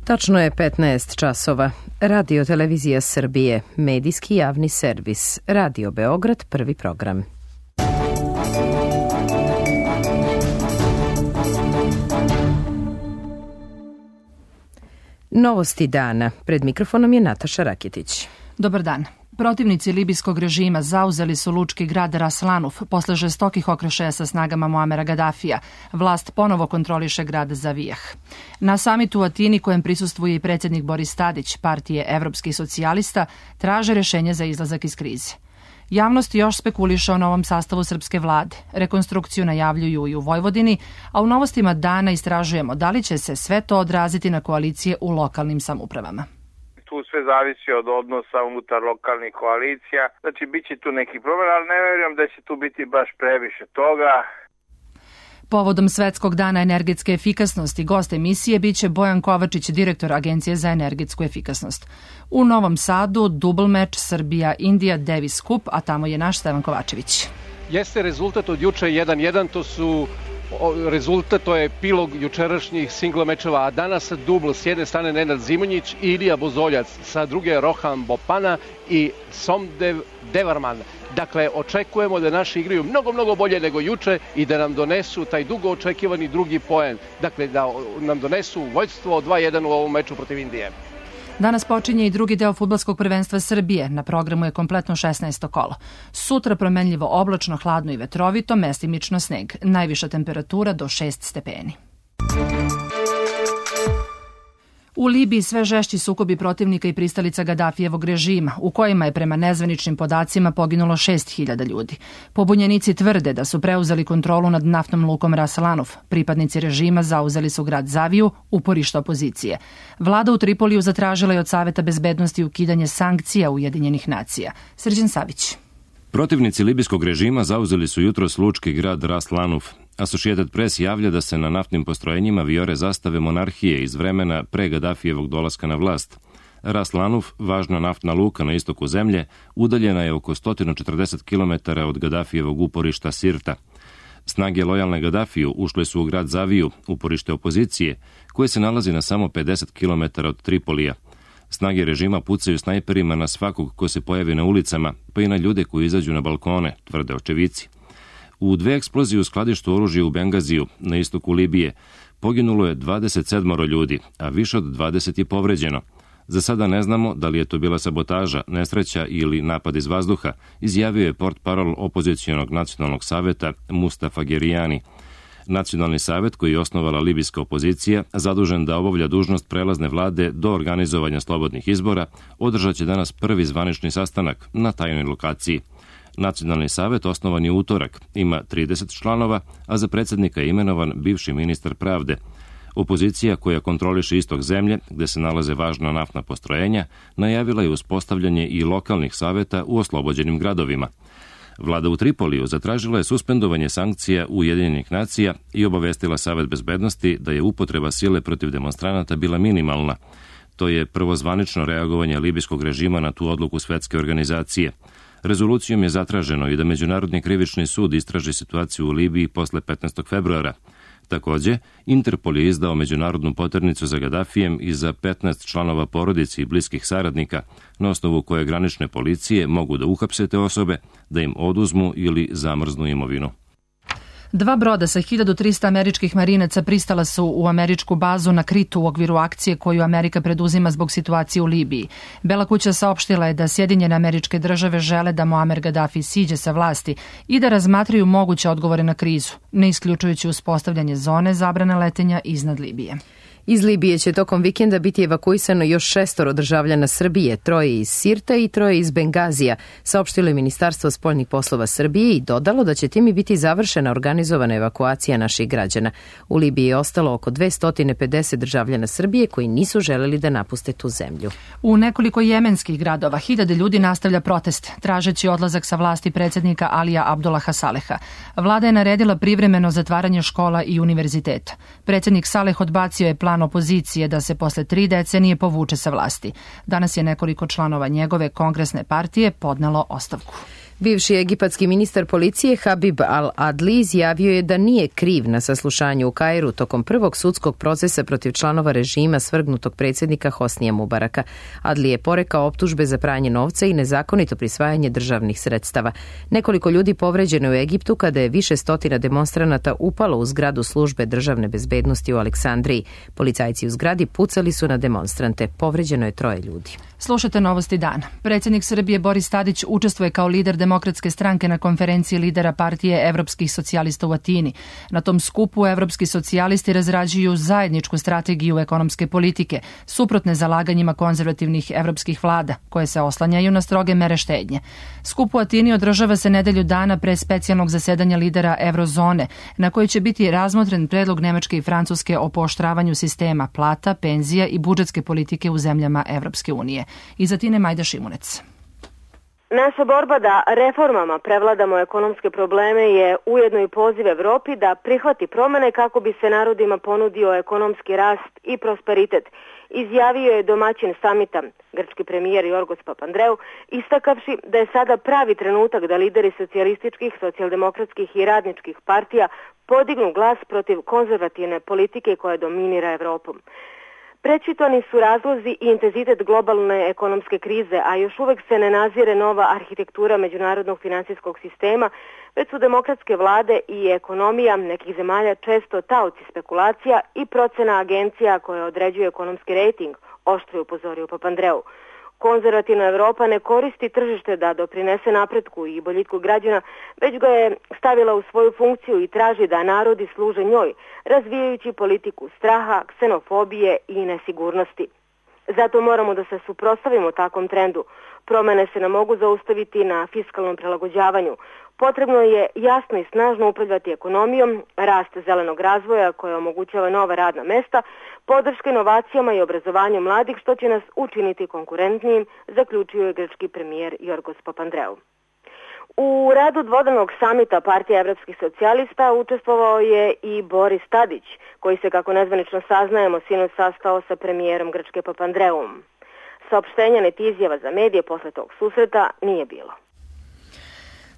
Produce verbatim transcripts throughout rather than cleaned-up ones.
Tačno je petnaest časova. Radio Televizija Srbije, medijski javni servis. Radio Beograd, prvi program. Novosti dana. Pred mikrofonom je Nataša Raketić. Dobar dan. Protivnici libijskog režima zauzeli su lučki grad Ras Lanuf posle žestokih okršaja sa snagama Muamera Gadafija. Vlast ponovo kontroliše grad Zavijah. Na samitu u Atini, kojem prisustvuje i predsjednik Boris Tadić, partije evropskih socijalista, traže rešenje za izlazak iz krize. Javnost još spekuliše o novom sastavu srpske vlade. Rekonstrukciju najavljuju i u Vojvodini, a u novostima dana istražujemo da li će se sve to odraziti na koalicije u lokalnim samoupravama. Tu sve zavisi od odnosa unutar lokalnih koalicija. Znači, bit će tu neki problem, ali ne vjerujem da će tu biti baš previše toga. Povodom Svetskog dana energetske efikasnosti, gost emisije biće Bojan Kovačić, direktor Agencije za energetsku efikasnost. U Novom Sadu dubl meč Srbija-Indija Davis Cup, a tamo je naš Stevan Kovačević. Jeste rezultat od juče jedan jedan, to su rezultat, to je epilog jučerašnjih singla mečeva, a danas dubl s jedne strane Nenad Zimonjić i Ilija Bozoljac, sa druge Rohan Bopana i Somdev Devarman. Dakle, očekujemo da naši igraju mnogo, mnogo bolje nego juče i da nam donesu taj dugo očekivani drugi poen. Dakle, da nam donesu vođstvo dva jedan u ovom meču protiv Indije. Danas počinje i drugi deo fudbalskog prvenstva Srbije. Na programu je kompletno šesnaesto kolo. Sutra promenljivo oblačno, hladno i vetrovito, mestimično sneg. Najviša temperatura do šest stepeni. U Libiji sve žešći sukobi protivnika i pristalica Gadafijevog režima, u kojima je prema nezvaničnim podacima poginulo šest hiljada ljudi. Pobunjenici tvrde da su preuzeli kontrolu nad naftnom lukom Ras Lanuf. Pripadnici režima zauzeli su grad Zaviju, uporište opozicije. Vlada u Tripoliju zatražila je od Saveta bezbednosti ukidanje sankcija Ujedinjenih nacija. Srđan Savić. Protivnici libijskog režima zauzeli su jutros lučki grad Ras Lanuf. Associated Press javlja da se na naftnim postrojenjima vijore zastave monarhije iz vremena pre Gadafijevog dolaska na vlast. Ras Lanuf, važna naftna luka na istoku zemlje, udaljena je oko sto četrdeset kilometara od Gadafijevog uporišta Sirta. Snage lojalne Gadafiju ušle su u grad Zaviju, uporište opozicije, koje se nalazi na samo pedeset kilometara od Tripolija. Snage režima pucaju snajperima na svakog ko se pojavi na ulicama, pa i na ljude koji izađu na balkone, tvrde očevici. U dve eksplozije u skladištu oružja u Bengaziju, na istoku Libije, poginulo je dvadeset sedam ljudi, a više od dvadeset je povređeno. Za sada ne znamo da li je to bila sabotaža, nesreća ili napad iz vazduha, izjavio je portparol opozicionog nacionalnog saveta Mustafa Gerijani. Nacionalni savet, koji je osnovala libijska opozicija, zadužen da obavlja dužnost prelazne vlade do organizovanja slobodnih izbora, održat će danas prvi zvanični sastanak na tajnoj lokaciji. Nacionalni savet osnovan je utorak, ima trideset članova, a za predsjednika je imenovan bivši ministar pravde. Opozicija, koja kontroliše istok zemlje, gde se nalaze važna naftna postrojenja, najavila je uspostavljanje i lokalnih saveta u oslobođenim gradovima. Vlada u Tripoliju zatražila je suspendovanje sankcija Ujedinjenih nacija i obavestila Savet bezbednosti da je upotreba sile protiv demonstranata bila minimalna. To je prvo zvanično reagovanje libijskog režima na tu odluku Svetske organizacije. Rezolucijom je zatraženo i da Međunarodni krivični sud istraži situaciju u Libiji posle petnaestog februara. Takođe, Interpol je izdao međunarodnu poternicu za Gadafijem i za petnaest članova porodice i bliskih saradnika, na osnovu koje granične policije mogu da uhapse te osobe, da im oduzmu ili zamrznu imovinu. Dva broda sa hiljadu trista američkih marinaca pristala su u američku bazu na Kritu u okviru akcije koju Amerika preduzima zbog situacije u Libiji. Bela kuća saopštila je da Sjedinjene Američke Države žele da Muamer Gaddafi siđe sa vlasti i da razmatraju moguće odgovore na krizu, ne isključujući uspostavljanje zone zabrane letenja iznad Libije. Iz Libije će tokom vikenda biti evakuisano još šestoro državljana Srbije, troje iz Sirta i troje iz Bengazija, saopštilo je Ministarstvo spoljnih poslova Srbije i dodalo da će time biti završena organizovana evakuacija naših građana. U Libiji je ostalo oko dvesta pedeset državljana Srbije koji nisu želeli da napuste tu zemlju. U nekoliko jemenskih gradova hiljade ljudi nastavlja protest, tražeći odlazak sa vlasti predsjednika Alija Abdullaha Saleha. Vlada je naredila privremeno zatvaranje škola i univerziteta. Predsjednik Saleh odbacio je plan opozicije da se posle tri decenije povuče sa vlasti. Danas je nekoliko članova njegove kongresne partije podnelo ostavku. Bivši egipatski ministar policije Habib al-Adli izjavio je da nije kriv na saslušanju u Kairu tokom prvog sudskog procesa protiv članova režima svrgnutog predsjednika Hosnija Mubaraka. Adli je porekao optužbe za pranje novca i nezakonito prisvajanje državnih sredstava. Nekoliko ljudi povređeno u Egiptu kada je više stotina demonstranata upalo u zgradu službe državne bezbednosti u Aleksandriji. Policajci u zgradi pucali su na demonstrante. Povređeno je troje ljudi. Slušate Novosti dana. Predsjednik Srbije Boris Tadić učestvuje kao lider Demokratske stranke na konferenciji lidera partije Evropskih socijalista u Atini. Na tom skupu evropski socijalisti razrađuju zajedničku strategiju ekonomske politike, suprotne zalaganjima konzervativnih evropskih vlada, koje se oslanjaju na stroge mere štednje. Skup u Atini održava se nedelju dana pre specijalnog zasedanja lidera Eurozone, na kojoj će biti razmotren predlog Nemačke i Francuske o pooštravanju sistema plata, penzija i budžetske politike u zemljama Evropske unije. Iz Atine Majda Šimunec. Naša borba da reformama prevladamo ekonomske probleme je ujedno i poziv Evropi da prihvati promene kako bi se narodima ponudio ekonomski rast i prosperitet, izjavio je domaćin samita, grčki premijer Jorgos Papandreou, istakavši da je sada pravi trenutak da lideri socijalističkih, socijaldemokratskih i radničkih partija podignu glas protiv konzervativne politike koja dominira Evropom. Prečitani su razlozi i intenzitet globalne ekonomske krize, a još uvek se ne nazire nova arhitektura međunarodnog finansijskog sistema, već su demokratske vlade i ekonomija nekih zemalja često taoci spekulacija i procena agencija koje određuju ekonomski rejting, oštro je upozorio Papandreou. Konzervativna Evropa ne koristi tržište da doprinese napretku i boljitku građana, već ga je stavila u svoju funkciju i traži da narodi služe njoj, razvijajući politiku straha, ksenofobije i nesigurnosti. Zato moramo da se suprotstavimo takvom trendu. Promene se ne mogu zaustaviti na fiskalnom prilagođavanju. Potrebno je jasno i snažno upravljati ekonomijom, rast zelenog razvoja koje omogućava nova radna mesta, podrška inovacijama i obrazovanju mladih što će nas učiniti konkurentnijim, zaključio je grčki premijer Jorgos Papandreou. U radu dvodanog samita partije evropskih socijalista učestvovao je i Boris Tadić, koji se, kako nezvanično saznajemo, sinoć sastao sa premijerom Grčke Papandreouom. Saopštenja niti izjava za medije posle tog susreta nije bilo.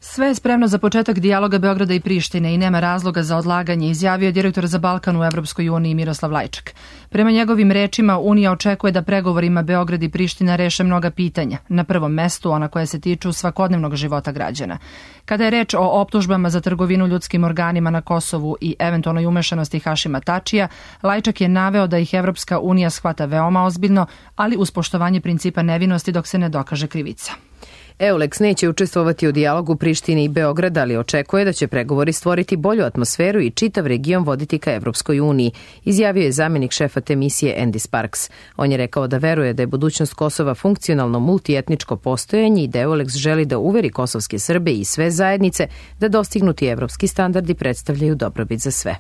Sve je spremno za početak dijaloga Beograda i Prištine i nema razloga za odlaganje, izjavio je direktor za Balkan u Evropskoj uniji Miroslav Lajčak. Prema njegovim rečima, Unija očekuje da pregovorima Beograd i Priština reše mnoga pitanja, na prvom mestu ona koja se tiču svakodnevnog života građana. Kada je reč o optužbama za trgovinu ljudskim organima na Kosovu i eventualnoj umešanosti Hašima Tačija, Lajčak je naveo da ih Evropska unija shvata veoma ozbiljno, ali uz poštovanje principa nevinosti dok se ne dokaže krivica. Euleks neće učestvovati u dijalogu Prištine i Beograda, ali očekuje da će pregovori stvoriti bolju atmosferu i čitav region voditi ka Evropskoj uniji, izjavio je zamjenik šefa te misije Andy Sparks. On je rekao da veruje da je budućnost Kosova funkcionalno multietničko postojanje i da Euleks želi da uveri kosovske Srbe i sve zajednice da dostignuti evropski standardi predstavljaju dobrobit za sve.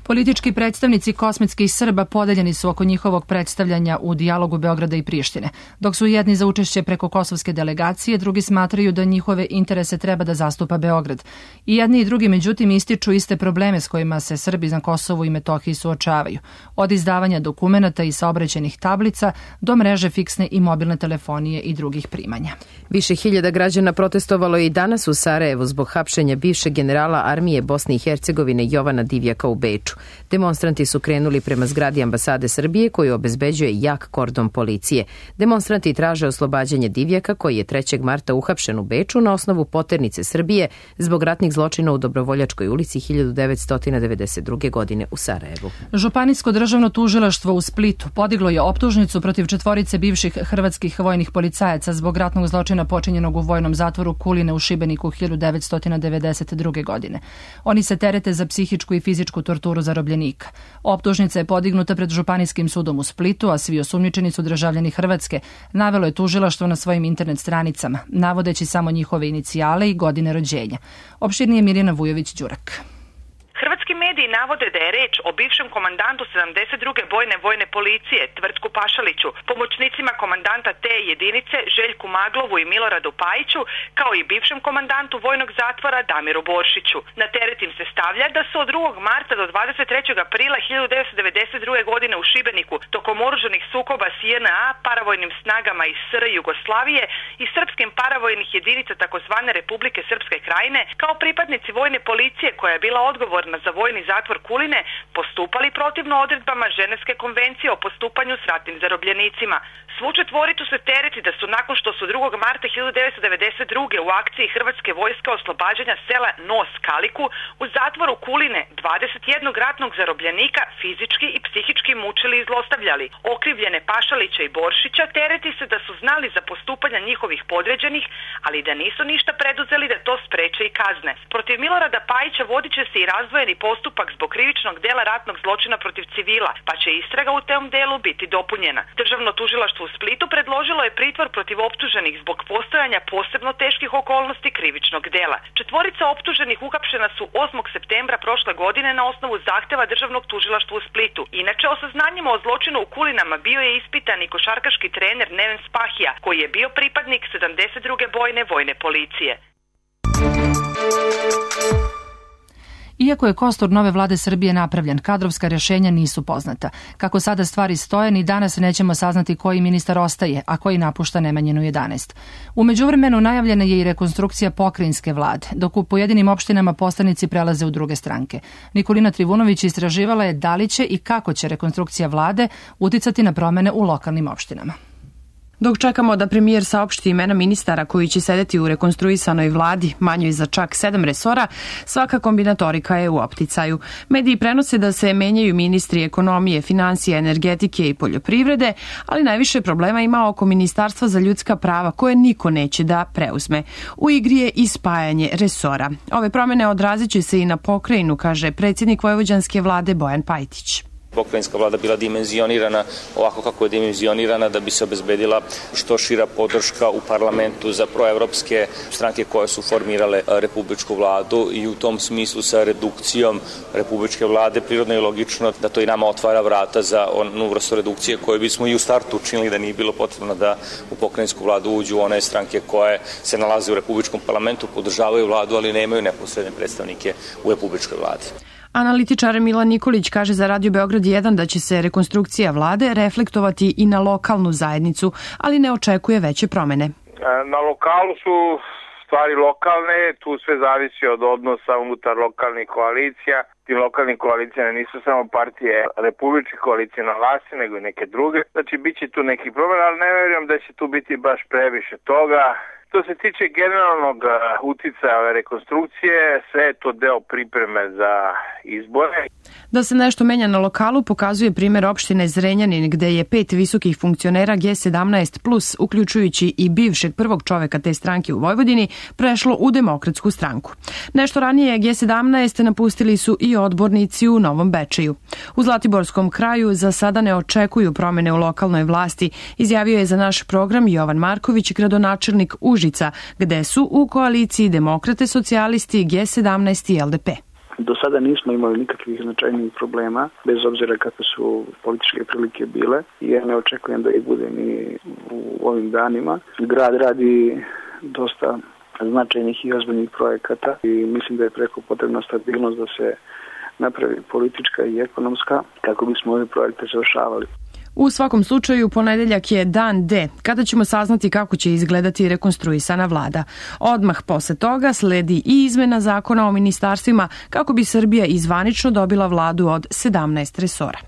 Politički predstavnici kosmetskih Srba podeljeni su oko njihovog predstavljanja u dijalogu Beograda i Prištine. Dok su jedni za učešće preko kosovske delegacije, drugi smatraju da njihove interese treba da zastupa Beograd. I jedni i drugi međutim ističu iste probleme s kojima se Srbi na Kosovu i Metohiji suočavaju. Od izdavanja dokumenata i saobraćajnih tablica do mreže fiksne i mobilne telefonije i drugih primanja. Više hiljada građana protestovalo je i danas u Sarajevu zbog hapšenja bivšeg generala armije Bosne i Hercegovine Jovana Divjaka u Beču. Demonstranti su krenuli prema zgradi ambasade Srbije koju obezbeđuje jak kordon policije. Demonstranti traže oslobađanje Divjaka koji je trećeg marta uhapšen u Beču na osnovu poternice Srbije zbog ratnih zločina u Dobrovoljačkoj ulici hiljadu devetsto devedeset druge. godine u Sarajevu. Županijsko državno tužilaštvo u Splitu podiglo je optužnicu protiv četvorice bivših hrvatskih vojnih policajaca zbog ratnog zločina počinjenog u vojnom zatvoru Kuline u Šibeniku hiljadu devetsto devedeset druge. godine. Oni se terete za psihičku i fizičku torturu zarobljenika. Optužnica je podignuta pred Županijskim sudom u Splitu, a svi osumnjičeni su državljani Hrvatske, navelo je tužilaštvo na svojim internet stranicama, navodeći samo njihove inicijale i godine rođenja. Opširnije Mirjana Vujović-Đurak. Hrvatski mediji navode da je reč o bivšem komandantu sedamdeset druge bojne vojne policije Tvrtku Pašaliću, pomoćnicima komandanta te jedinice Željku Maglovu i Miloradu Pajiću, kao i bivšem komandantu vojnog zatvora Damiru Boršiću. Na teret im se stavlja da su od drugog marta do dvadeset trećeg aprila hiljadu devetsto devedeset druge. godine u Šibeniku tokom oružanih sukoba s J N A, paravojnim snagama iz S R Jugoslavije i srpskim paravojnih jedinica takozvane Republike Srpske Krajine, kao pripadnici vojne policije koja je bila odgovorna za vojni zatvor Kuline, postupali protivno odredbama Ženevske konvencije o postupanju s ratnim zarobljenicima. Svu četvoricu se tereti da su nakon što su drugog marta hiljadu devetsto devedeset druge. u akciji Hrvatske vojske oslobađanja sela Nos Kaliku u zatvoru Kuline dvadeset jednog ratnog zarobljenika fizički i psihički mučili i zlostavljali. Okrivljene Pašalića i Boršića tereti se da su znali za postupanja njihovih podređenih, ali da nisu ništa preduzeli da to spreče i kazne. Protiv Milorada Pajića vodit će se i razdvojeni postupak zbog krivičnog dela ratnog zločina protiv civila, pa će istraga u tom delu biti dopunjena. Državno tužilaštvo u Splitu predložilo je pritvor protiv optuženih zbog postojanja posebno teških okolnosti krivičnog dela. Četvorica optuženih uhapšena su osmog septembra prošle godine na osnovu zahteva Državnog tužilaštva u Splitu. Inače, o saznanjima o zločinu u Kulinama bio je ispitan i košarkaški trener Neven Spahija, koji je bio pripadnik sedamdeset druge bojne vojne policije. Iako je kostur nove vlade Srbije napravljen, kadrovska rješenja nisu poznata. Kako sada stvari stoje, ni danas nećemo saznati koji ministar ostaje, a koji napušta Nemanjinu jedanaest. U međuvremenu najavljena je i rekonstrukcija pokrajinske vlade, dok u pojedinim opštinama poslanici prelaze u druge stranke. Nikolina Trivunović istraživala je da li će i kako će rekonstrukcija vlade uticati na promene u lokalnim opštinama. Dok čekamo da premijer saopšti imena ministara koji će sedeti u rekonstruisanoj vladi, manjoj za čak sedam resora, svaka kombinatorika je u opticaju. Mediji prenose da se menjaju ministri ekonomije, financije, energetike i poljoprivrede, ali najviše problema ima oko Ministarstva za ljudska prava koje niko neće da preuzme. U igri je i spajanje resora. Ove promene odrazit će se i na pokrajinu, kaže predsjednik vojvođanske vlade Bojan Pajtić. Pokrajinska vlada bila dimenzionirana ovako kako je dimenzionirana da bi se obezbedila što šira podrška u parlamentu za proevropske stranke koje su formirale republičku vladu i u tom smislu sa redukcijom republičke vlade prirodno i logično da to i nama otvara vrata za onu vrstu redukcije koju bismo i u startu učinili da nije bilo potrebno da u pokrajinsku vladu uđu one stranke koje se nalaze u republičkom parlamentu, podržavaju vladu, ali nemaju neposredne predstavnike u republičkoj vladi. Analitičar Milan Nikolić kaže za Radio Beograd jedan da će se rekonstrukcija vlade reflektovati i na lokalnu zajednicu, ali ne očekuje veće promene. Na lokalu su stvari lokalne, tu sve zavisi od odnosa unutar lokalnih koalicija. Tim lokalnim koalicijama nisu samo partije republičke koalicije na vlasti, nego i neke druge. Znači, bit će tu neki problem, ali ne vjerujem da će tu biti baš previše toga. Što se tiče generalnog uticaja ove rekonstrukcije, sve je to deo pripreme za izbore. Da se nešto menja na lokalu pokazuje primjer opštine Zrenjanin, gde je pet visokih funkcionera G sedamnaest plus, uključujući i bivšeg prvog čoveka te stranke u Vojvodini, prešlo u Demokratsku stranku. Nešto ranije G sedamnaest napustili su i odbornici u Novom Bečeju. U Zlatiborskom kraju za sada ne očekuju promene u lokalnoj vlasti, izjavio je za naš program Jovan Marković, gradonačelnik Užica, gde su u koaliciji Demokrate, socijalisti, G sedamnaest i L D P. Do sada nismo imali nikakvih značajnijih problema, bez obzira kakve su političke prilike bile i ja ne očekujem da ih bude ni u ovim danima. Grad radi dosta značajnih i ozbiljnih projekata i mislim da je preko potrebna stabilnost da se napravi politička i ekonomska kako bismo ove projekte završavali. U svakom slučaju, ponedeljak je dan D, kada ćemo saznati kako će izgledati rekonstruisana vlada. Odmah posle toga sledi i izmena zakona o ministarstvima kako bi Srbija izvanično dobila vladu od sedamnaest resora.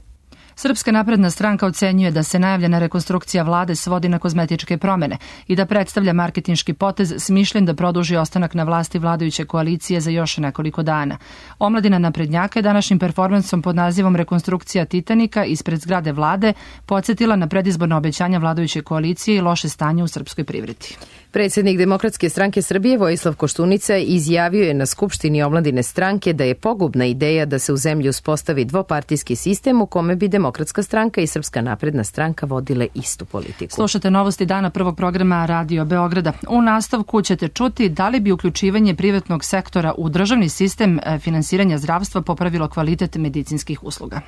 Srpska napredna stranka ocenjuje da se najavljena rekonstrukcija vlade svodi na kozmetičke promene i da predstavlja marketinški potez smišljen da produži ostanak na vlasti vladajuće koalicije za još nekoliko dana. Omladina naprednjaka je današnjim performansom pod nazivom Rekonstrukcija Titanika ispred zgrade vlade podsjetila na predizborno obećanja vladajuće koalicije i loše stanje u srpskoj privredi. Predsjednik Demokratske stranke Srbije Vojislav Koštunica izjavio je na Skupštini omladine stranke da je pogubna ideja da se u zemlji uspostavi dvopartijski sistem u kome bi demokratska Demokratska stranka i Srpska napredna stranka vodile istu politiku. Slušate novosti dana prvog programa Radio Beograda. U nastavku ćete čuti da li bi uključivanje privatnog sektora u državni sistem finansiranja zdravstva popravilo kvalitet medicinskih usluga.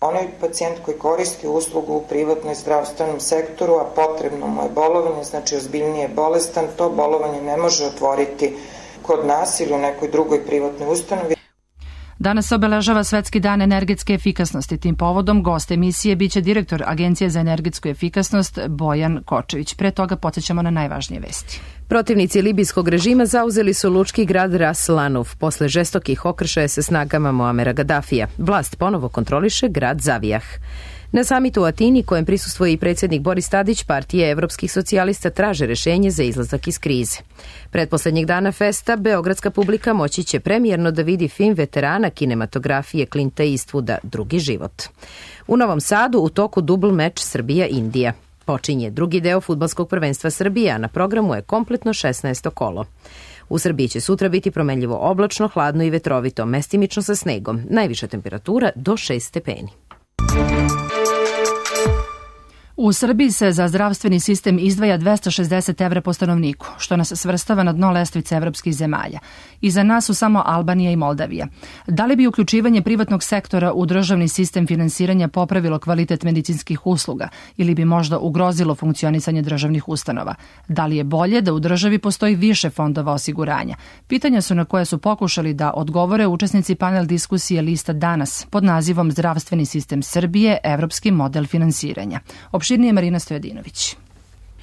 Onaj pacijent koji koristi uslugu u privatnom zdravstvenom sektoru, a potrebno mu je bolovanje, znači ozbiljnije bolestan, to bolovanje ne može otvoriti kod nas ili u nekoj drugoj privatnoj ustanovi. Danas se obeležava Svetski dan energetske efikasnosti. Tim povodom gost emisije biće direktor Agencije za energetsku efikasnost Bojan Kočević. Pre toga podsjećamo na najvažnije vesti. Protivnici libijskog režima zauzeli su lučki grad Ras Lanuf posle žestokih okršaja sa snagama Muamera Gadafija. Vlast ponovo kontroliše grad Zavijah. Na samitu u Atini, kojem prisustvuje i predsjednik Boris Tadić, partije evropskih socijalista traže rešenje za izlazak iz krize. Pretposlednjeg dana festa, beogradska publika moći će premijerno da vidi film veterana kinematografije Clinta Eastwooda Drugi život. U Novom Sadu u toku dubl meč Srbija-Indija. Počinje drugi deo fudbalskog prvenstva Srbije, a na programu je kompletno šesnaesto kolo. U Srbiji će sutra biti promenljivo oblačno, hladno i vetrovito, mestimično sa snegom. Najviša temperatura do šest stepeni. U Srbiji se za zdravstveni sistem izdvaja dvesta šezdeset evra po stanovniku, što nas svrstava na dno lestvice evropskih zemalja. Iza nas su samo Albanija i Moldavija. Da li bi uključivanje privatnog sektora u državni sistem finansiranja popravilo kvalitet medicinskih usluga ili bi možda ugrozilo funkcionisanje državnih ustanova? Da li je bolje da u državi postoji više fondova osiguranja? Pitanja su na koje su pokušali da odgovore učesnici panel diskusije Lista danas pod nazivom Zdravstveni sistem Srbije, evropski model finansiranja. Opširnije Marina Stojadinović.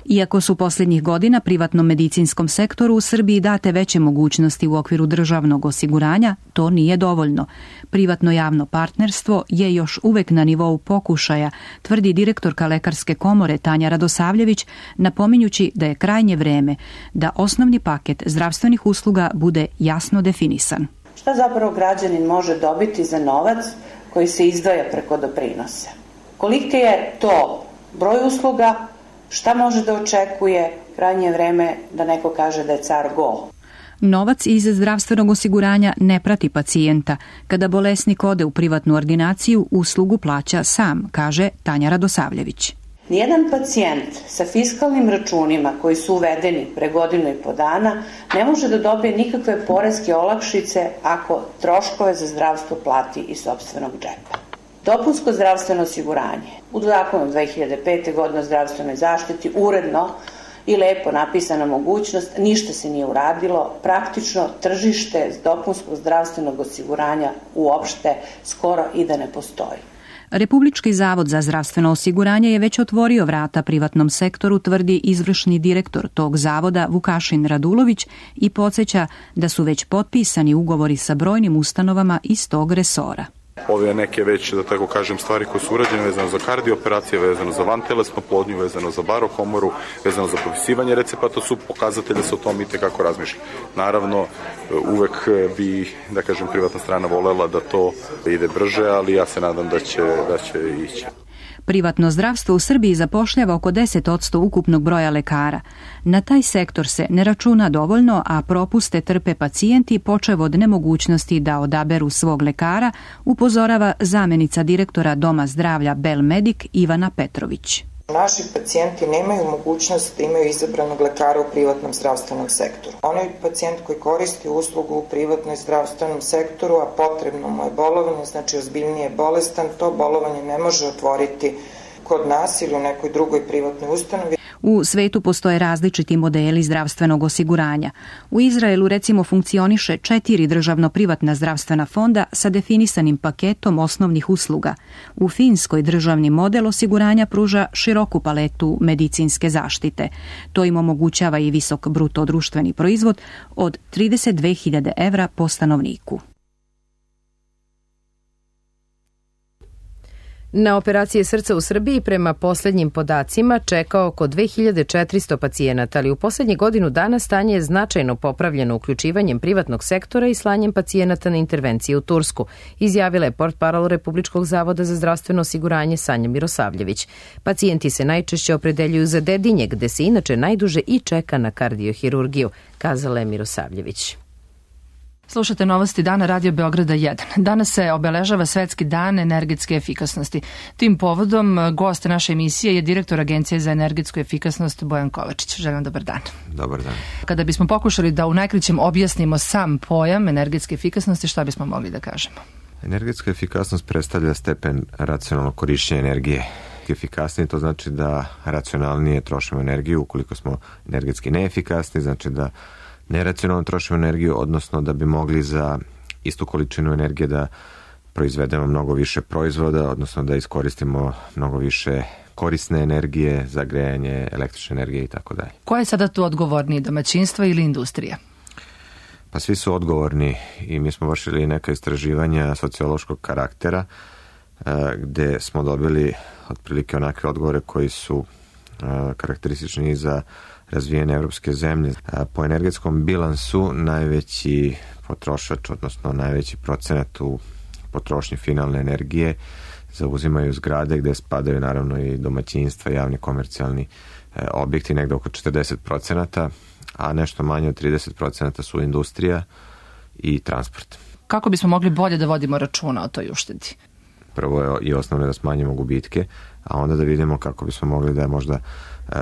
Iako su posljednjih godina privatnom medicinskom sektoru u Srbiji date veće mogućnosti u okviru državnog osiguranja, to nije dovoljno. Privatno javno partnerstvo je još uvek na nivou pokušaja, tvrdi direktorka Lekarske komore Tanja Radosavljević, napominjući da je krajnje vreme da osnovni paket zdravstvenih usluga bude jasno definisan. Šta zapravo građanin može dobiti za novac koji se izdvaja preko doprinosa? Koliki je to broj usluga, šta može da očekuje, krajnje vreme da neko kaže da je car go. Novac iz zdravstvenog osiguranja ne prati pacijenta. Kada bolesnik ode u privatnu ordinaciju, uslugu plaća sam, kaže Tanja Radosavljević. Nijedan pacijent sa fiskalnim računima koji su uvedeni pre godinu i po dana ne može da dobije nikakve poreske olakšice ako troškove za zdravstvo plati iz sopstvenog džepa. Dopunsko zdravstveno osiguranje. U zakonu dve hiljade pete. godine o zdravstvenoj zaštiti uredno i lepo napisana mogućnost, ništa se nije uradilo, praktično tržište dopunskog zdravstvenog osiguranja uopšte skoro i da ne postoji. Republički zavod za zdravstveno osiguranje je već otvorio vrata privatnom sektoru, tvrdi izvršni direktor tog zavoda Vukašin Radulović i podsjeća da su već potpisani ugovori sa brojnim ustanovama iz tog resora. Ove neke već, da tako kažem, stvari koje su urađene vezano za kardioperacije, vezano za vantelesnu plodnju, vezano za barokomoru, vezano za propisivanje recepata, su pokazatelji da se o tom itekako razmišlja. Naravno, uvek bi, da kažem, privatna strana volela da to ide brže, ali ja se nadam da će, da će ići. Privatno zdravstvo u Srbiji zapošljava oko deset posto ukupnog broja lekara. Na taj sektor se ne računa dovoljno, a propuste trpe pacijenti počev od nemogućnosti da odaberu svog lekara, upozorava zamenica direktora Doma zdravlja Belmedik Ivana Petrović. Naši pacijenti nemaju mogućnost da imaju izabranog lekara u privatnom zdravstvenom sektoru. Onaj pacijent koji koristi uslugu u privatnom zdravstvenom sektoru, a potrebno mu je bolovanje, znači ozbiljnije bolestan, to bolovanje ne može otvoriti kod nas ili u nekoj drugoj privatnoj ustanovi. U svetu postoje različiti modeli zdravstvenog osiguranja. U Izraelu recimo funkcioniše četiri državno-privatna zdravstvena fonda sa definisanim paketom osnovnih usluga. U Finskoj državni model osiguranja pruža široku paletu medicinske zaštite. To im omogućava i visok bruto društveni proizvod od trideset dve hiljade evra po stanovniku. Na operacije srca u Srbiji prema posljednjim podacima čeka oko dve hiljade četiristo pacijenata, ali u posljednjih godinu dana stanje je značajno popravljeno uključivanjem privatnog sektora i slanjem pacijenata na intervencije u Tursku, izjavila je portparol Republičkog zavoda za zdravstveno osiguranje Sanja Mirosavljević. Pacijenti se najčešće opredeljuju za Dedinje, gde se inače najduže i čeka na kardiohirurgiju, kazala je Mirosavljević. Slušate novosti dana Radio Beograda jedan. Danas se obeležava Svetski dan energetske efikasnosti. Tim povodom gost naše emisije je direktor Agencije za energetsku efikasnost Bojan Kovačić. Želim dobar dan. Dobar dan. Kada bismo pokušali da u najkraćem objasnimo sam pojam energetske efikasnosti, šta bismo mogli da kažemo? Energetska efikasnost predstavlja stepen racionalnog korišćenja energije. Efikasnije to znači da racionalnije trošimo energiju. Ukoliko smo energetski neefikasni, znači da neracionalno trošimo energiju, odnosno da bi mogli za istu količinu energije da proizvedemo mnogo više proizvoda, odnosno da iskoristimo mnogo više korisne energije za grejanje, električne energije i tako dalje. Ko je sada tu odgovorniji, domaćinstva ili industrija? Pa svi su odgovorni i mi smo vršili neka istraživanja sociološkog karaktera gde smo dobili otprilike onakve odgovore koji su karakteristični za razvijene evropske zemlje. Po energetskom bilansu najveći potrošač, odnosno najveći procenat u potrošnji finalne energije zauzimaju zgrade gde spadaju naravno i domaćinstva, javni komercijalni objekti, negde oko četrdeset procenata, a nešto manje od trideset procenata su industrija i transport. Kako bismo mogli bolje da vodimo računa o toj uštedi? Prvo je i osnovno da smanjimo gubitke, a onda da vidimo kako bismo mogli da možda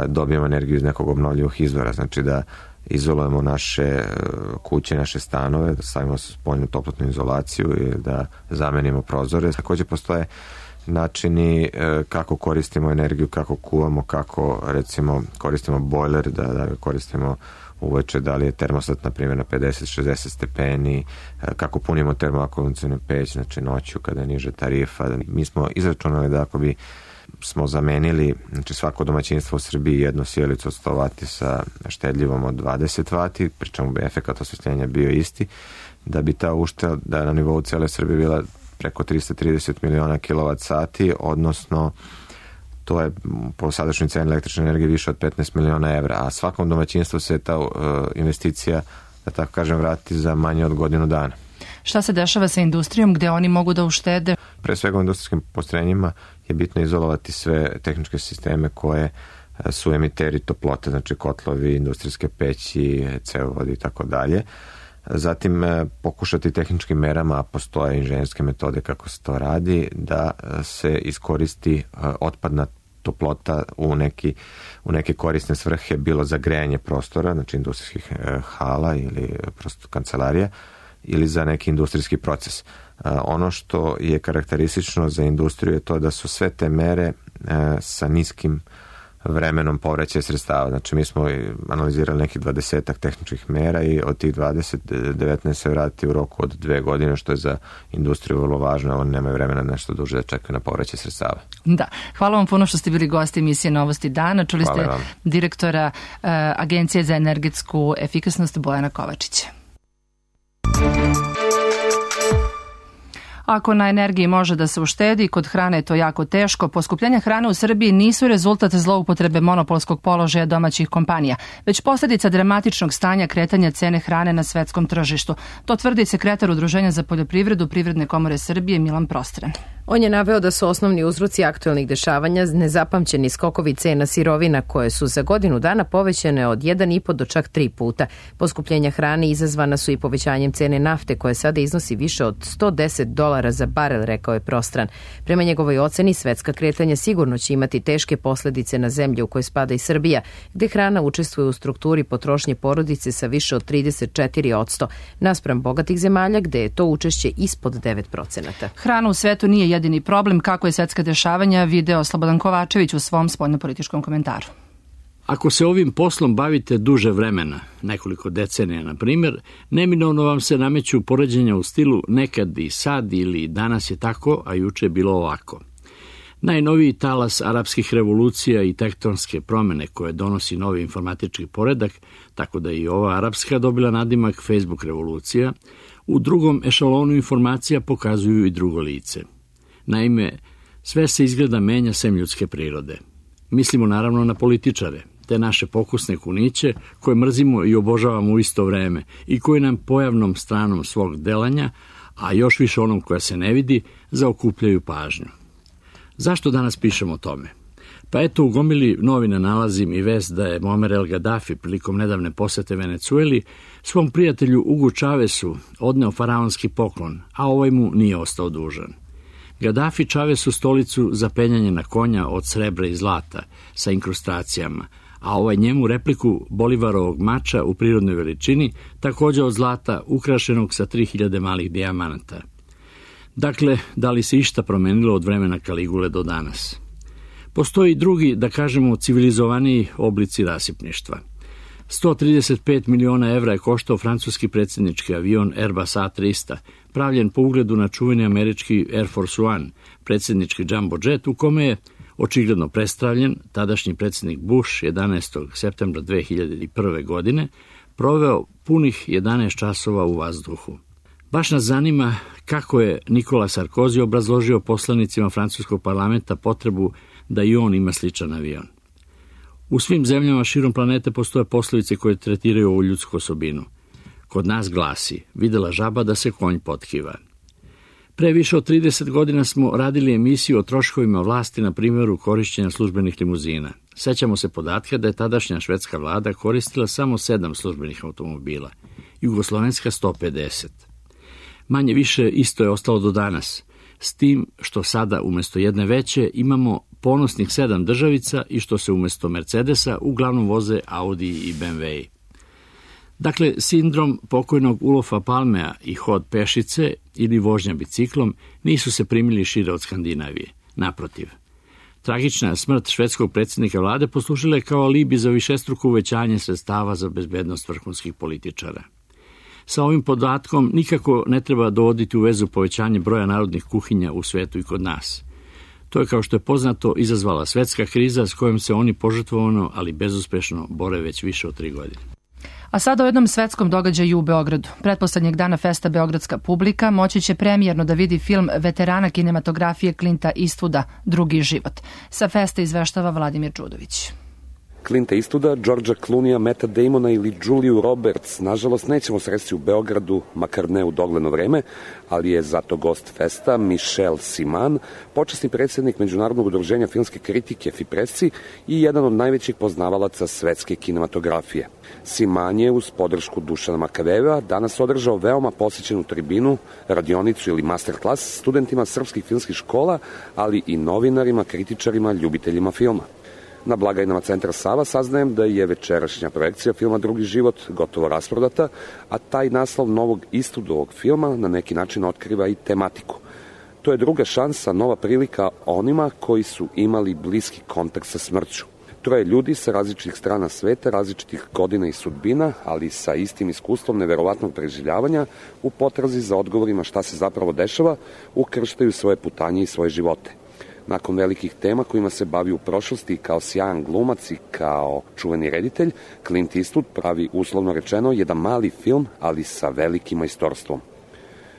dobijemo energiju iz nekog obnovljivog izvora, znači da izolujemo naše kuće, naše stanove, da stavimo spoljnu toplotnu izolaciju i da zamenimo prozore. Također postoje načini kako koristimo energiju, kako kuvamo, kako recimo koristimo bojler, da, da koristimo uveče, da li je termostat na primjer na pedeset šezdeset stepeni, kako punimo termoakumulacionu peć, znači noću kada je niže tarifa. Mi smo izračunali da ako bi smo zamenili, znači svako domaćinstvo u Srbiji jednu sjelicu od sto vati sa štedljivom od dvadeset vati, pričemu bi efekat osvetljenja bio isti, da bi ta ušteda da na nivou cele Srbije bila preko tristo trideset miliona kilovat sati, odnosno to je po sadašnjoj ceni električne energije više od petnaest miliona evra, a svakom domaćinstvu se ta uh, investicija, da tako kažem, vrati za manje od godinu dana. Šta se dešava sa industrijom gde oni mogu da uštede? Pre svega u industrijskim postrojenjima je bitno izolovati sve tehničke sisteme koje su emiteri toplote, znači kotlovi, industrijske peći, cevovodi i tako dalje. Zatim pokušati tehničkim merama, a postoje inženjerske metode kako se to radi, da se iskoristi otpadna toplota u, neki, u neke korisne svrhe, bilo za grejanje prostora, znači industrijskih hala ili prosto kancelarija, ili za neki industrijski proces. Ono što je karakteristično za industriju je to da su sve te mere sa niskim vremenom povraćaja sredstava. Znači mi smo analizirali nekih dvadesetak tehničkih mera i od tih dvadeset, devetnaest se vrati u roku od dve godine, što je za industriju vrlo važno, oni nemaju vremena nešto duže da čekaju na povraćaj sredstava. Da, hvala vam puno što ste bili gosti emisije Novosti dana. Čuli hvala ste vam. Direktora uh, Agencije za energetsku efikasnost Bojana Kovačića. Ako na energiji može da se uštedi, kod hrane je to jako teško. Poskupljenja hrane u Srbiji nisu rezultat zloupotrebe monopolskog položaja domaćih kompanija, već posljedica dramatičnog stanja kretanja cene hrane na svetskom tržištu. To tvrdi sekretar Udruženja za poljoprivredu Privredne komore Srbije Milan Prostren. On je naveo da su osnovni uzroci aktualnih dešavanja nezapamćeni skokovi cena sirovina koje su za godinu dana povećane od jedan i po do čak tri puta. Poskupljenja hrane izazvana su i povećanjem cene nafte koje sada iznosi više od sto deset dolara za barel, rekao je Prostran. Prema njegovoj oceni, svetska kretanja sigurno će imati teške posljedice na zemlje u kojoj spada i Srbija, gde hrana učestvuje u strukturi potrošnje porodice sa više od trideset četiri posto, naspram bogatih zemalja gde je to učešće ispod devet procenata. Hrana u svetu nije jedini problem, kako je svetska dešavanja video Slobodan Kovačević u svom spoljnopolitičkom komentaru. Ako se ovim poslom bavite duže vremena, nekoliko decenija na primjer, neminovno vam se nameću poređenja u stilu nekad i sad ili danas je tako, a juče je bilo ovako. Najnoviji talas arapskih revolucija i tektonske promjene koje donosi novi informatički poredak, tako da i ova arapska dobila nadimak Facebook revolucija, u drugom ešalonu informacija pokazuju i drugo lice. Naime, sve se izgleda menja sem ljudske prirode. Mislimo naravno na političare, te naše pokusne kuniće koje mrzimo i obožavamo u isto vreme i koje nam pojavnom stranom svog delanja, a još više onom koja se ne vidi, zaokupljaju pažnju. Zašto danas pišemo o tome? Pa eto, u gomili novina nalazim i vest da je Muammar el Gaddafi prilikom nedavne posete Venecueli svom prijatelju Ugu Čavesu odneo faraonski poklon, a ovaj mu nije ostao dužan. Gaddafi Čavesu stolicu za penjanje na konja od srebra i zlata sa inkrustacijama, a ovaj njemu repliku Bolivarovog mača u prirodnoj veličini, također od zlata ukrašenog sa tri hiljade malih dijamanata. Dakle, da li se išta promenilo od vremena Kaligule do danas? Postoji drugi, da kažemo, civilizovaniji oblici rasipništva. sto trideset pet miliona evra je koštao francuski predsjednički avion Airbus A trista, pravljen po ugledu na čuveni američki Air Force One, predsjednički jumbo jet, u kome je očigledno prestravljen tadašnji predsjednik Bush jedanaestog septembra dve hiljade prve. godine proveo punih jedanaest časova u vazduhu. Baš nas zanima kako je Nikola Sarkozy obrazložio poslanicima francuskog parlamenta potrebu da i on ima sličan avion. U svim zemljama širom planete postoje poslovice koje tretiraju ovu ljudsku osobinu. Kod nas glasi: videla žaba da se konj potkiva. Pre više od trideset godina smo radili emisiju o troškovima vlasti na primjeru korišćenja službenih limuzina. Sećamo se podatka da je tadašnja švedska vlada koristila samo sedam službenih automobila, jugoslovenska sto pedeset. Manje više isto je ostalo do danas, s tim što sada umjesto jedne veće imamo ponosnih sedam državica i što se umjesto Mercedesa uglavnom voze Audi i B M W. Dakle, sindrom pokojnog Ulofa Palmea i hod pešice ili vožnja biciklom nisu se primili šire od Skandinavije. Naprotiv, tragična smrt švedskog predsjednika vlade poslužila je kao alibi za višestruko uvećanje sredstava za bezbednost vrhunskih političara. Sa ovim podatkom nikako ne treba dovoditi u vezu povećanje broja narodnih kuhinja u svetu i kod nas. To je, kao što je poznato, izazvala svetska kriza s kojom se oni požrtvovano, ali bezuspešno bore već više od tri godine. A sada o jednom svetskom događaju u Beogradu. Pretposlednjeg dana festa beogradska publika moći će premijerno da vidi film veterana kinematografije Clinta Eastwooda Drugi život. Sa festa izveštava Vladimir Đudović. Clinta Eastwooda, Georgea Clooneyja, Matta Damona ili Juliju Roberts, nažalost, nećemo sresti u Beogradu, makar ne u dogledno vreme, ali je zato gost festa Michel Siman, počasni predsjednik Međunarodnog udruženja filmske kritike FIPRESCI i jedan od najvećih poznavalaca svetske kinematografije. Siman je uz podršku Dušana Makaveva danas održao veoma posjećenu tribinu, radionicu ili masterclass studentima srpskih filmskih škola, ali i novinarima, kritičarima, ljubiteljima filma. Na blagajnama Centra Sava saznajem da je večerašnja projekcija filma Drugi život gotovo rasprodata, a taj naslov novog Eastwoodovog filma na neki način otkriva i tematiku. To je druga šansa, nova prilika onima koji su imali bliski kontakt sa smrću. Troje ljudi sa različitih strana sveta, različitih godina i sudbina, ali sa istim iskustvom neverovatnog preživljavanja, u potrazi za odgovorima šta se zapravo dešava, ukrštaju svoje putanje i svoje živote. Nakon velikih tema kojima se bavi u prošlosti kao sjajan glumac i kao čuveni reditelj, Clint Eastwood pravi, uslovno rečeno, jedan mali film, ali sa velikim majstorstvom.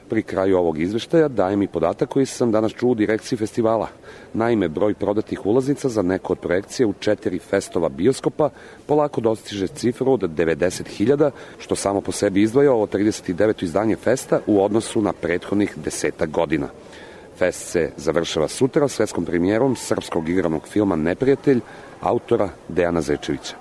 Pri kraju ovog izveštaja dajem i podatak koji sam danas čuo u direkciji festivala. Naime, broj prodatih ulaznica za neku od projekcije u četiri festova bioskopa polako dostiže cifru od devedeset hiljada, što samo po sebi izdvaja ovo trideset deveto izdanje festa u odnosu na prethodnih desetak godina. Fest se završava sutra svetskom premijerom srpskog igranog filma Neprijatelj, autora Dejana Zečevića.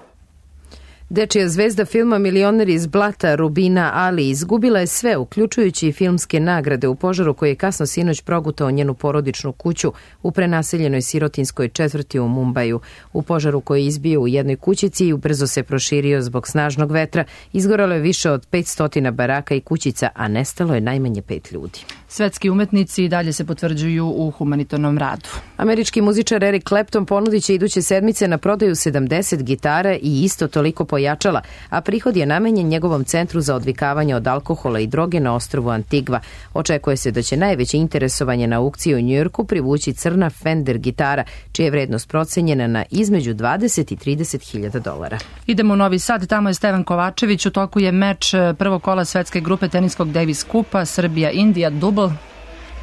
Dečija zvezda filma Milioner iz blata Rubina Ali izgubila je sve, uključujući i filmske nagrade u požaru koji je kasno sinoć progutao njenu porodičnu kuću u prenaseljenoj sirotinskoj četvrti u Mumbaju. U požaru koji je izbio u jednoj kućici i ubrzo se proširio zbog snažnog vetra, izgorelo je više od petsto baraka i kućica, a nestalo je najmanje pet ljudi. Svetski umetnici i dalje se potvrđuju u humanitarnom radu. Američki muzičar Eric Clapton ponudit će iduće sedmice na prodaju sedamdeset gitara i isto toliko pojačala, a prihod je namenjen njegovom centru za odvikavanje od alkohola i droge na ostrvu Antigva. Očekuje se da će najveće interesovanje na aukciji u Njujorku privući crna Fender gitara, čija je vrednost procenjena na između dvadeset i trideset hiljada dolara. Idemo u Novi Sad, tamo je Stevan Kovačević, u toku je meč prvog kola svetske grupe teniskog Davis Kupa, Srbija-Indija, dubl.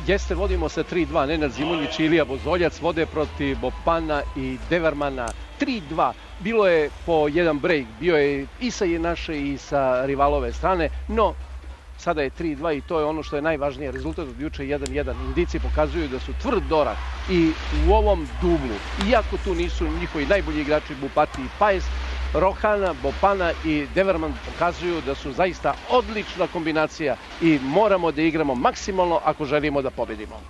Jeste, vodimo sa tri dva, Nenad Zimonjić i Ilija Bozoljac vode protiv Bopana i Devermana tri dva. Bilo je po jedan break, bio je i sa naše i sa rivalove strane, no sada je tri dva i to je ono što je najvažnije. Rezultat od juče jedan jedan. Indici pokazuju da su tvrd dorak i u ovom dublu, iako tu nisu njihovi najbolji igrači Bupati i Pajs, Rohana, Bopana i Deverman pokazuju da su zaista odlična kombinacija i moramo da igramo maksimalno ako želimo da pobedimo.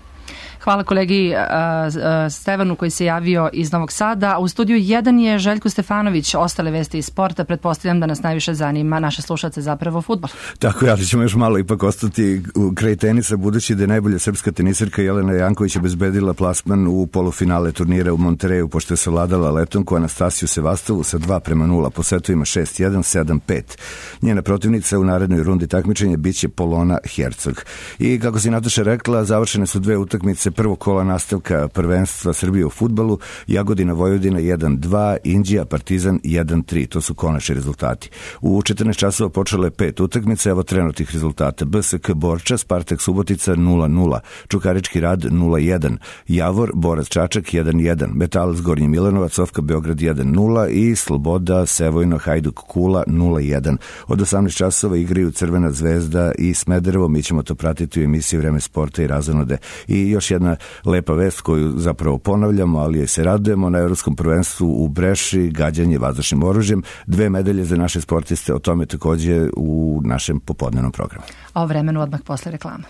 Hvala kolegi uh, uh, Stevanu koji se javio iz Novog Sada. U studiju jedan je Željko Stefanović. Ostale vesti iz sporta, pretpostavljam da nas najviše zanima naše slušalce, zapravo fudbal. Tako je, ali ćemo još malo ipak ostati u kraj tenisa, budući da je najbolja srpska tenisirka Jelena Janković obezbedila plasman u polufinale turnira u Montereju, pošto je savladala Letonku Anastasiju Sevastovu sa dva prema nula po setovima šest jedan, sedam pet. Njena protivnica u narednoj rundi takmičenja biće Polona Hercog. I kako si Nataša rekla, završene su dve utakmice prvog kola nastavka prvenstva Srbije u fudbalu, Jagodina Vojvodina jedan dva, Inđija Partizan jedan tri. To su konačni rezultati. U četrnaest časova počelo je pet utakmica, evo trenutnih rezultata. B S K Borča, Spartak Subotica nula nula, Čukarički Rad nula jedan, Javor, Borac Čačak jedan jedan, Metalac Gornji Milanovac, Sofka Beograd jedan nula i Sloboda Sevojno Hajduk Kula nula jedan. Od osamnaest časova igraju Crvena zvezda i Smederevo. Mi ćemo to pratiti u emisiji Vreme sporta i razonode. I još jedna lepa vest koju zapravo ponavljamo, ali je se radujemo na Evropskom prvenstvu u Breši, gađanje vazdušnim oružjem, dve medalje za naše sportiste, o tome takođe u našem popodnevnom programu. A o vremenu odmah posle reklama.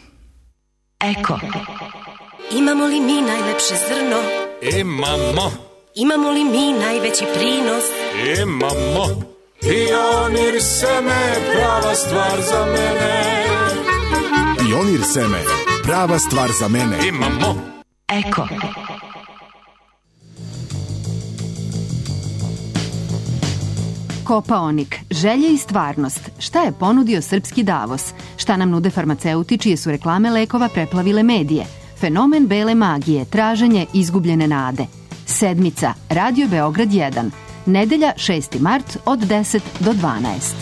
Eko. Imamo li mi najlepše zrno? Imamo. Imamo li mi najveći prinos? Imamo. Pionir seme, prava stvar za mene. Pionir seme, prava stvar za mene. Imamo. Eko. Kopaonik, želje i stvarnost. Šta je ponudio srpski Davos? Šta nam nude farmaceuti čije su reklame lekova preplavile medije? Fenomen bele magije, traženje izgubljene nade. Sedmica, Radio Beograd jedan. Nedelja šesti mart od deset do dvanaest.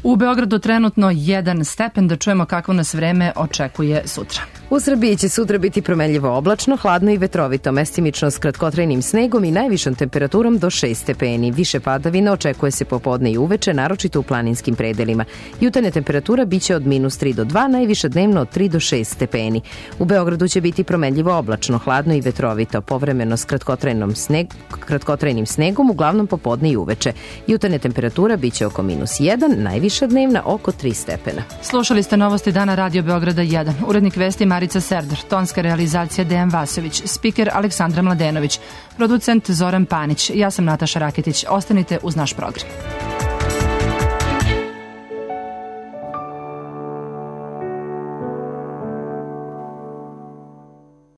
U Beogradu trenutno jedan stepen, da čujemo kakvo nas vreme očekuje sutra. U Srbiji će sutra biti promenljivo oblačno, hladno i vetrovito, mestimično s kratkotrajnim snegom i najvišom temperaturom do šest stepeni. Više padavina očekuje se popodne i uveče, naročito u planinskim predelima. Jutarnja temperatura biće od minus tri do dva, najviše dnevno od tri do šest stepeni. U Beogradu će biti promenljivo oblačno, hladno i vetrovito, povremeno s kratkotrajnom sneg, kratkotrajnim snegom, uglavnom popodne i uveče. Jutarnja temperatura biće oko minus jedan, najviša dnevna oko tri stepena. Slušali ste novosti dana Radio Beograda jedan. Urednik vesti Marica Serdar, tonska realizacija Dejan Vasović, spiker Aleksandra Mladenović, producent Zoran Panić. Ja sam Nataša Raketić. Ostanite uz naš program.